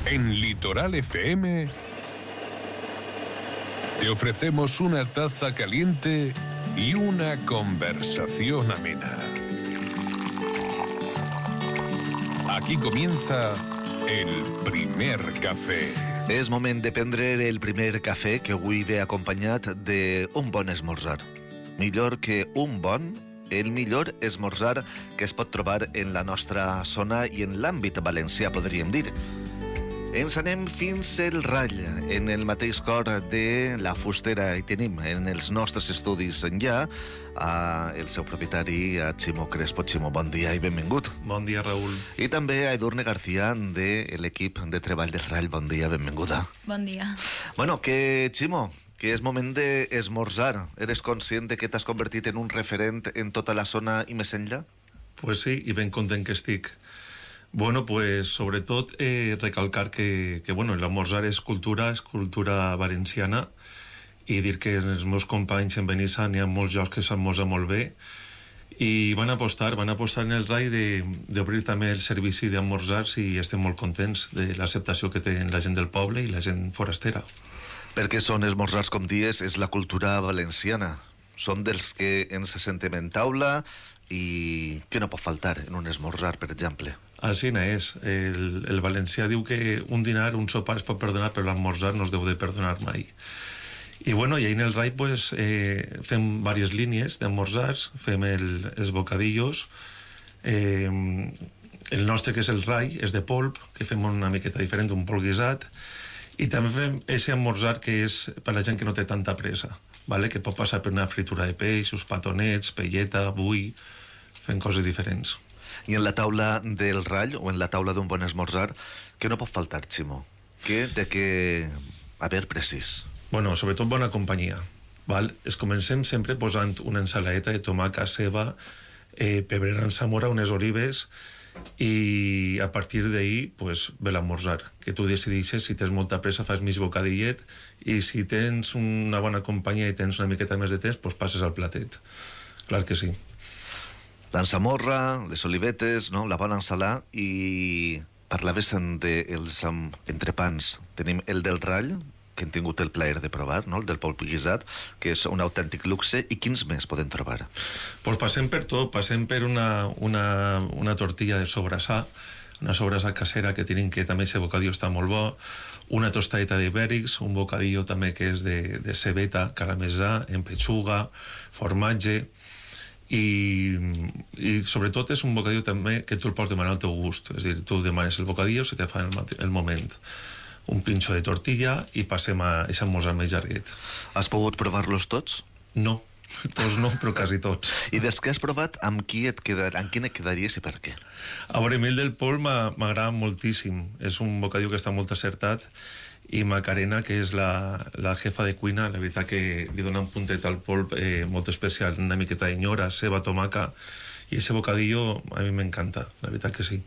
En Litoral FM te ofrecemos una taza caliente y una conversación amena. Aquí comienza el primer cafè. És moment de prendre el primer cafè, que avui ve acompanyat d'un bon esmorzar. Millor que un bon, el millor esmorzar que es pot trobar en la nostra zona i en l'àmbit valencià, podríem dir. Ens anem fins al Rall, en el mateix cor de la Fustera, i tenim en els nostres estudis ja el seu propietari, a Ximo Crespo. Ximo, bon dia i benvingut. Bon dia, Raül. I també a Edurne García, de l'equip de treball del Rall. Bon dia, benvinguda. Bon dia. Bueno, Ximo, que és moment d'esmorzar. Eres conscient de que t'has convertit en un referent en tota la zona i més enllà? Pues sí, i ben content que estic. Bueno, pues sobretot recalcar que bueno, l'esmorzar és cultura valenciana, i dir que els meus companys en Benissa n'hi ha molts jocs que s'esmorza molt bé, i van apostar en el RAI d'obrir també el servici d'esmorzars, i estem molt contents de l'acceptació que té la gent del poble i la gent forastera. Perquè són esmorzars, com dies, és la cultura valenciana. Som dels que ens sentem en taula i que no pot faltar en un esmorzar, per exemple. Així és. El valencià diu que un dinar, un sopar es pot perdonar, però l'esmorzar no es deu de perdonar mai. I bueno, i ahí en el RAI pues, fem diverses línies d'esmorzars, fem els bocadillos, el nostre, que és el RAI, és de polp, que fem una miqueta diferent, un polp guisat, i també fem aquest esmorzar que és per la gent que no té tanta pressa, ¿vale? Que pot passar per una fritura de peix, uns patonets, pelleta, bull, fent coses diferents. I en la taula del Rall, o en la taula d'un bon esmorzar, què no pot faltar, Ximo? A veure, precís. Bueno, sobretot bona companyia, val? Es comencem sempre posant una ensaladeta de tomàquet, ceba, pebrera en Zamora, unes olives, i a partir d'ahí pues, ve l'esmorzar, que tu decideixes si tens molta pressa, fas mig bocadillet, i si tens una bona companyia i tens una miqueta més de temps, pues passes al platet. Clar que sí. L'ensamorra, les olivetes, no? La bona ensalada, i parlaves dels entrepans. Tenim el del Rall, que hem tingut el plaer de provar, no? El del polp guisat, que és un autèntic luxe, i quins més podem trobar? Pues passem per tot, passem per una tortilla de sobrassà, una sobrassà casera que tenim, que també aquest bocadillo està molt bo, una tostadeta d'ibèrics, un bocadillo també que és de cebeta, caramelsà, en pechuga, formatge, i sobretot és un bocadillo també que tu el pots demanar al teu gust, és a dir, tu demanes el bocadillo, se te fa el moment un pinxo de tortilla i passem a aquest esmorzar més llarguet. Has pogut provar-los tots? No, tots no, però quasi tots. I dels que has provat, amb quin et quedaries i per què? A veure, a mi el del polp m'agrada moltíssim. És un bocadillo que està molt acertat, i Macarena, que és la jefa de cuina, la veritat que li dona un puntet al polp molt especial, una miqueta de ceba, tomaca, i aquest bocadillo a mi m'encanta, la veritat que sí.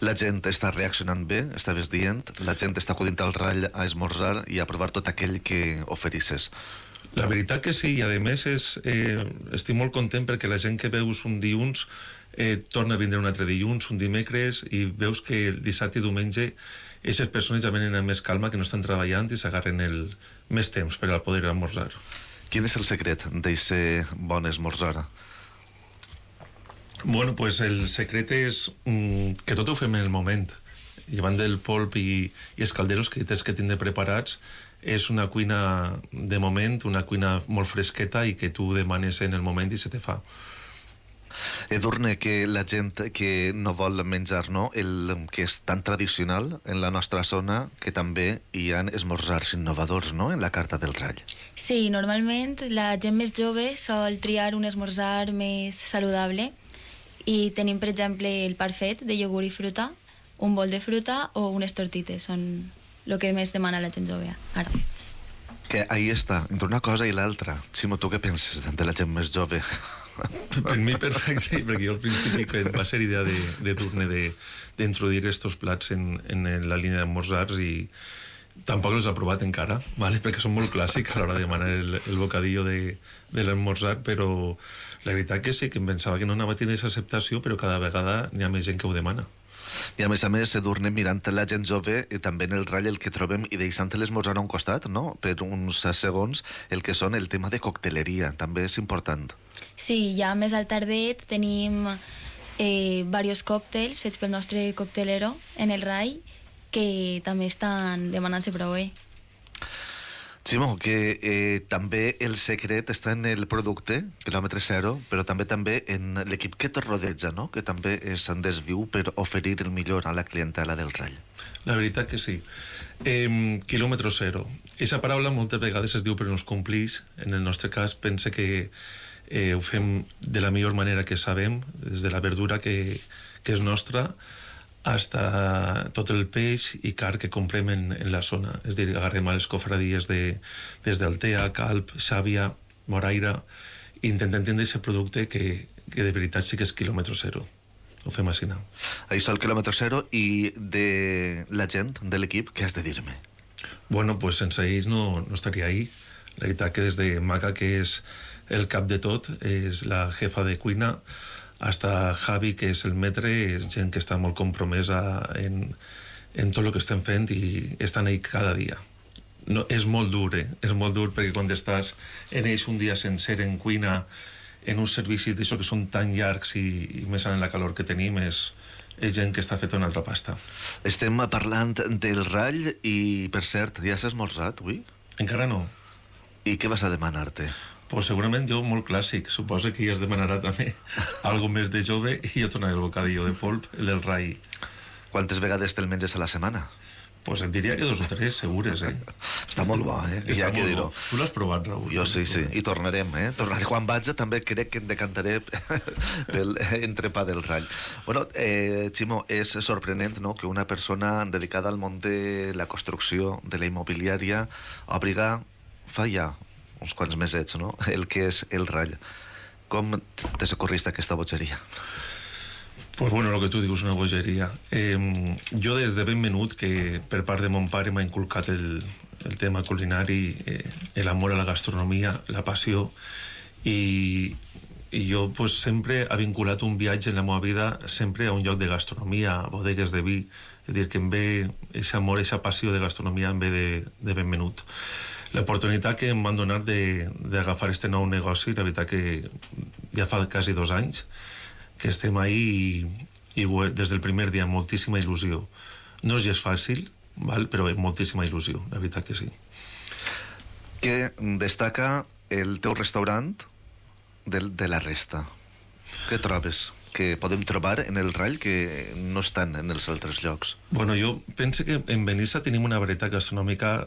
La gent està reaccionant bé, estaves dient, la gent està acudint al Rall a esmorzar i a provar tot aquell que oferisses. La veritat que sí, i a més estic molt content perquè la gent que veus un dilluns torna a vindre un altre dilluns, un dimecres, i veus que el dissabte i diumenge aquestes persones ja venen amb més calma, que no estan treballant i s'agarren més temps per a poder esmorzar. Quin és el secret d'aquest bon esmorzar? Bueno, pues el secret és que tot ho fem en el moment. Llevant del polp i els calderos que tens que tindre preparats, és una cuina de moment, una cuina molt fresqueta i que tu demanes en el moment i se te fa. Edurne, que la gent que no vol menjar, no? El que és tan tradicional en la nostra zona, que també hi ha esmorzars innovadors, no?, en la carta del Rall. Sí, normalment la gent més jove sol triar un esmorzar més saludable, i tenim, per exemple, el parfait de iogurt i fruta, un bol de fruta o unes tortites, són el que més demana la gent jove ara. Que ahí està, entre una cosa i l'altra. Ximo, tu què penses de la gent més jove? Per mi perfecte, perquè jo al principi va ser idea de Turne d'introduir estos plats en la línia d'esmorzars, i tampoc els ha provat encara, ¿vale? Perquè són molt clàssics a l'hora de demanar el bocadillo de l'esmorzar, però la veritat que sí, que em pensava que no anava a tenir aquesta acceptació, però cada vegada n'hi ha més gent que ho demana. I a més, Edurne, mirant la gent jove, també en el ratll el que trobem, i deixant l'esmorzar a un costat, no?, per uns segons, el que són el tema de cocteleria, també és important. Sí, ja més al tardet tenim diversos còctels fets pel nostre coctelero en el ratll, que també estan demanant-se prou bé. Ximo, que també el secret està en el producte, quilòmetre zero, però també en l'equip que te rodeja, no?, que també se'n desviu per oferir el millor a la clientela del ratll. La veritat que sí. Quilòmetre zero. Aquesta paraula moltes vegades es diu però no es complix. En el nostre cas pense que ho fem de la millor manera que sabem, des de la verdura que és nostra, hasta tot el peix i carn que comprem en la zona. És a dir, agarrem a les cofradies des d'Altea, Calp, Xàbia, Moraira, i intentem tindre aquest producte que de veritat sí que és quilòmetre zero. Ho fem així. Això el quilòmetre zero, i de la gent de l'equip, què has de dir-me? Bueno, pues sense ells no estaria ahí. La veritat que des de Maca, que és el cap de tot, és la jefa de cuina, hasta Javi, que és el metre, és gent que està molt compromesa en tot el que estem fent i estan ahí cada dia. No, és molt dur, és molt dur, perquè quan estàs en ells un dia sencer en cuina, en uns servicis d'això que són tan llargs i més en la calor que tenim, és gent que està feta una altra pasta. Estem parlant del ratll i, per cert, ja has esmorzat avui? Encara no. I què vas a demanar-te? Pues segurament jo molt clàssic. Suposo que ja es demanarà també algo més de jove i jo tornaré el bocadillo de polp, el del ratll. Quantes vegades te'l menges a la setmana? Pues et diria que 2 o 3, segures, Està molt bo, Està molt bo. Tu l'has provat, Raül? Jo sí. I tornarem, Tornaré. Quan vaig també crec que em decantaré pel entrepà del ratll. Bueno, Ximo, és sorprenent, no?, que una persona dedicada al món de la construcció, de la immobiliària, obriga fa ja uns quants mesets, no?, el que és el ratll. Com te socorriste aquesta bogeria? Pues bueno, lo que tu dius, una bogeria. Jo des de ben menut, que per part de mon pare m'ha inculcat el tema culinari, l'amor a la gastronomia, la passió, i jo pues, sempre he vinculat un viatge en la meva vida sempre a un lloc de gastronomia, a bodegues de vi. És a dir, que em ve aquest amor, aquesta passió de gastronomia em ve de ben menut. L'oportunitat que em van donar d'agafar este nou negoci, la veritat que ja fa quasi 2 anys que estem ahí i des del primer dia moltíssima il·lusió. No és gens fàcil, però moltíssima il·lusió, la veritat que sí. Què destaca el teu restaurant de la resta? Què trobes que podem trobar en el ratll que no estan en els altres llocs? Bueno, jo penso que en Benissa tenim una varietat gastronòmica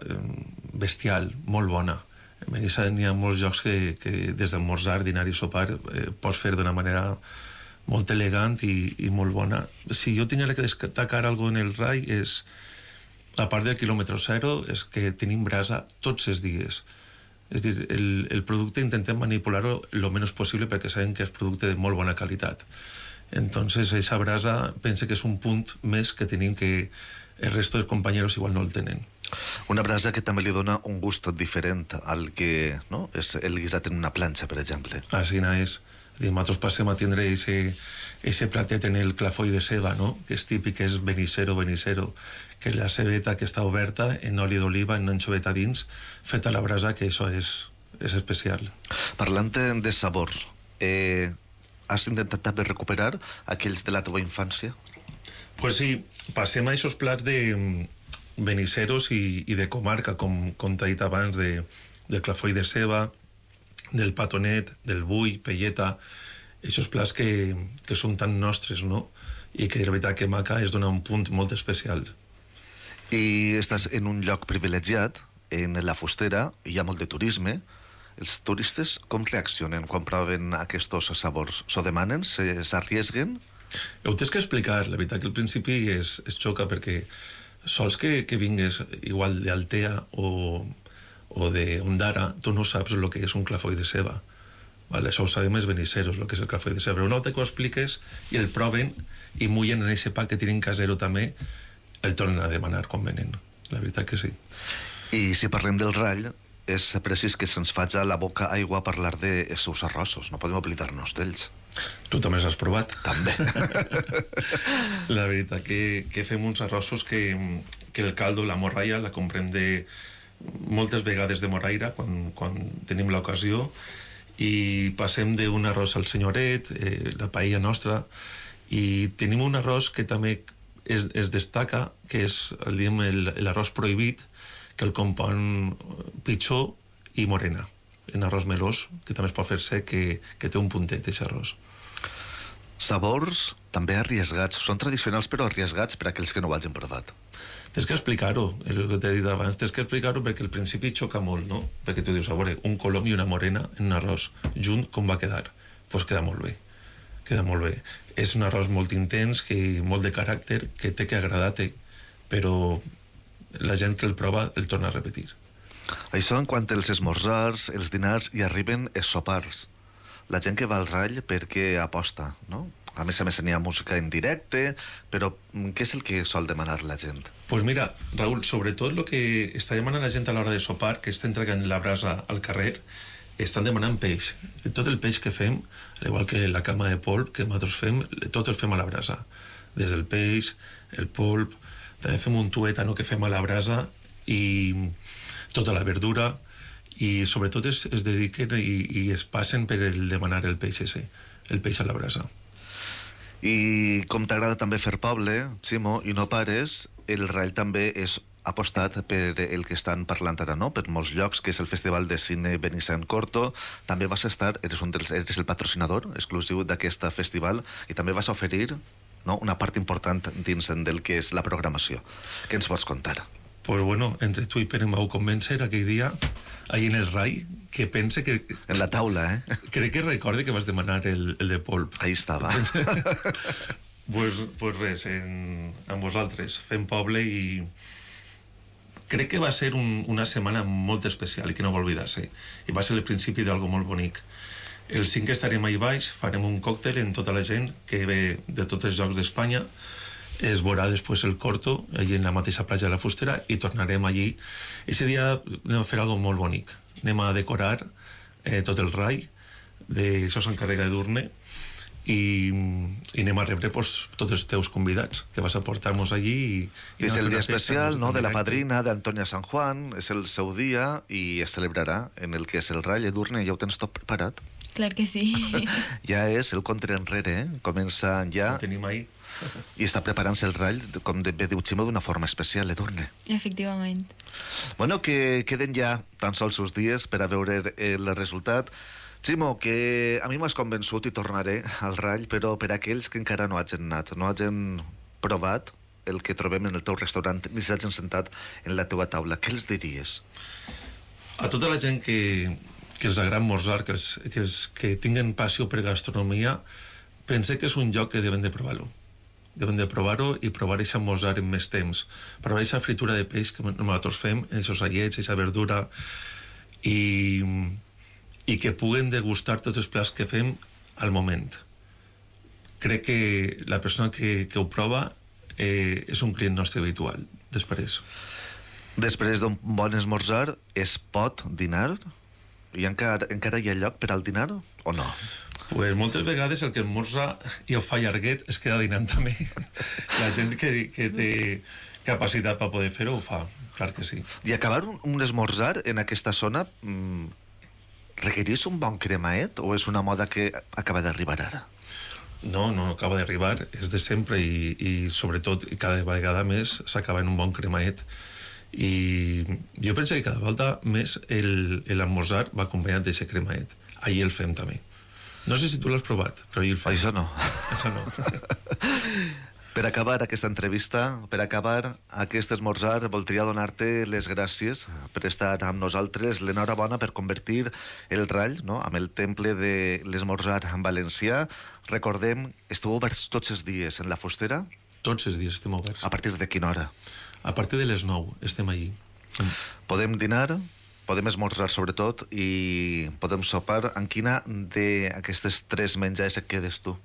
bestial, molt bona. En Benissa n'hi ha molts llocs que des d'esmorzar, dinar i sopar pots fer d'una manera molt elegant i molt bona. Si jo tingués que destacar alguna cosa en el ratll és, a part del quilòmetre zero, és que tenim brasa tots els dies. És dir, el producte intentem manipular-lo el menys possible perquè sabem que és producte de molt bona qualitat. Entonces, esa brasa pense que és un punt més que tenim que el resto dels companyeros igual no el tenen. Una brasa que també li dona un gust diferent al que, no?, és el guisat en una planxa, per exemple. Així és. Nosaltres passem a tindre ese platet en el clafoll de ceba, no?, que és típic, és benicero, que és la cebeta que està oberta en oli d'oliva, en anchoveta dins, feta a la brasa, que això és especial. Parlant de sabors, has intentat també recuperar aquells de la teva infància? Pues sí, passem a aquests plats de beniceros i de comarca, com t'he dit abans, del clafoll de ceba, del patonet, del bull, pelleta, aquests plats que són tan nostres, no?, i que de veritat que Maca és donar un punt molt especial. I estàs en un lloc privilegiat, en la Fustera, hi ha molt de turisme. Els turistes com reaccionen quan proven aquests sabors? S'ho demanen? S'arriesguen? Ho tens que explicar. La veritat que al principi es xoca perquè sols que vingues igual d'Altea o d'Ondara, tu no saps el que és un clafoll de ceba. Vale? Això ho sabem els beniceros, el que és el clafoll de ceba. Però no te ho expliques i el proven i mullen en aquest pa que tenen casero també, el tornen a demanar quan venen. La veritat que sí. I si parlem del ratll, és precís que se'ns faig a la boca aigua a parlar dels seus arrossos. No podem oblidar-nos d'ells. Tu també els has provat? També. La veritat que fem uns arrossos que el caldo, la morralla, la comprem moltes vegades de moraira quan tenim l'ocasió, i passem d'un arròs al senyoret, la paella nostra, i tenim un arròs que també es destaca, que és l'arròs prohibit, que el compon pitxó i morena, en arròs melós, que també es pot fer sec, que té un puntet, aquest arròs. Sabors també arriesgats. Són tradicionals però arriesgats per a aquells que no ho hagin provat. Tens que explicar-ho, el que t'he dit abans, tens que explicar-ho perquè al principi xoca molt, no? Perquè tu dius, a veure, un colom i una morena en un arròs junt, com va quedar? Doncs queda molt bé, queda molt bé. És un arròs molt intens, molt de caràcter, que té que agradar-te, però la gent que el prova el torna a repetir. Això en quant als esmorzars, els dinars, i arriben els sopars. La gent que va al Rall perquè aposta, no? A més n'hi ha música en directe, però què és el que sol demanar la gent? Pues mira, Raúl, sobretot el que està demanant la gent a l'hora de sopar, que està entregant la brasa al carrer, estan demanant peix. Tot el peix que fem, al igual que la cama de polp que nosaltres fem, tot el fem a la brasa. Des del peix, el polp, també fem un tuétano que fem a la brasa, i tota la verdura, i sobretot es dediquen i es passen per el demanar el peix ese, el peix a la brasa. I com t'agrada també fer poble, Ximo, i no pares, el Rall també és apostat per el que estan parlant ara, no? Per molts llocs, que és el Festival de Cine Benissan Corto. També vas estar, eres el patrocinador exclusiu d'aquesta festival, i també vas oferir, no?, una part important dins del que és la programació. Què ens pots contar? Pues bueno, entre tu i Pere em vau convèncer aquell dia, ahí en el Rai, que pense que... En la taula, eh? Crec que recorde que vas demanar el de polp. Ahí estava. Pues res, amb vosaltres, fem poble, i crec que va ser una setmana molt especial i que no va oblidar-se. I va ser el principi d'algo molt bonic. El 5 estarem ahí baix, farem un còctel en tota la gent que ve de tots els llocs d'Espanya, es veurà després el Corto, allí en la mateixa platja de la Fustera, i tornarem allí. Ese dia anem a fer algo molt bonic. Anem a decorar tot el Rai, això s'encarrega d'Edurne, i anem a rebre tots els teus convidats, que vas a portar-nos allí. És el dia especial, no?, de la padrina d'Antonia San Juan, és el seu dia, i es celebrarà en el que és el Rai. Edurne, ja ho tens tot preparat? Clar que sí. Ja és el contra enrere, comença ja... Ho tenim ahí. I està preparant-se el Rall, com bé diu Ximo, d'una forma especial, Edurne. Efectivament. Bueno, que queden ja tan sols uns dies per a veure el resultat. Ximo, que a mi m'has convençut i tornaré al Rall, però per a aquells que encara no hagin anat, no hagin provat el que trobem en el teu restaurant, ni s'hagin sentat en la teua taula, què els diries? A tota la gent que els agrada esmorzar, que tinguen passió per gastronomia, pense que és un lloc que deuen de provar-lo. Deuen de provar-ho i provar a esmorzar en més temps. Provar aquesta fritura de peix que nosaltres fem, aquests allets, aquesta verdura, i que puguen degustar tots els plats que fem al moment. Crec que la persona que ho prova és un client nostre habitual, després. Després d'un bon esmorzar, es pot dinar? I encara hi ha lloc per al dinar o no? Pues moltes vegades el que esmorza i ho fa llarguet es queda dinant també. La gent que té capacitat per poder fer-ho ho fa, clar que sí. I acabar un esmorzar en aquesta zona requereix un bon cremaet o és una moda que acaba d'arribar ara? No acaba d'arribar, és de sempre, i sobretot cada vegada més s'acaba en un bon cremaet. I jo penso que cada volta més l'esmorzar va acompanyat d'aquest cremaet. Ahir el fem també. No sé si tu l'has provat, però ahir el fem. Això no. Això no. Per acabar aquesta entrevista, per acabar aquest esmorzar, voldria donar-te les gràcies per estar amb nosaltres, l'enhorabona per convertir el Rall, no?, amb el temple de l'esmorzar en valencià. Recordem, esteu oberts tots els dies en la Fustera? Tots els dies estem oberts. A partir de quina hora? A partir de les 9 estem allí. Podem dinar, podem esmorzar sobretot, i podem sopar. En quina d'aquestes tres menjars et quedes tu?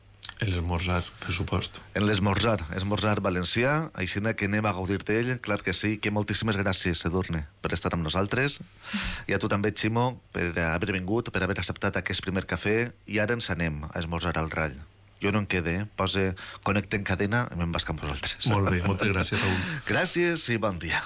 L'esmorzar, per supost. En l'esmorzar valencià, així que anem a gaudir d'ell, clar que sí, que moltíssimes gràcies, Edurne, per estar amb nosaltres, i a tu també, Ximo, per haver vingut, per haver acceptat aquest primer cafè, i ara ens anem a esmorzar al Rall. Jo no em quede, posa connecta en cadena i me'n vas amb vosaltres. Molt bé, moltes gràcies, Raül. Gràcies i bon dia.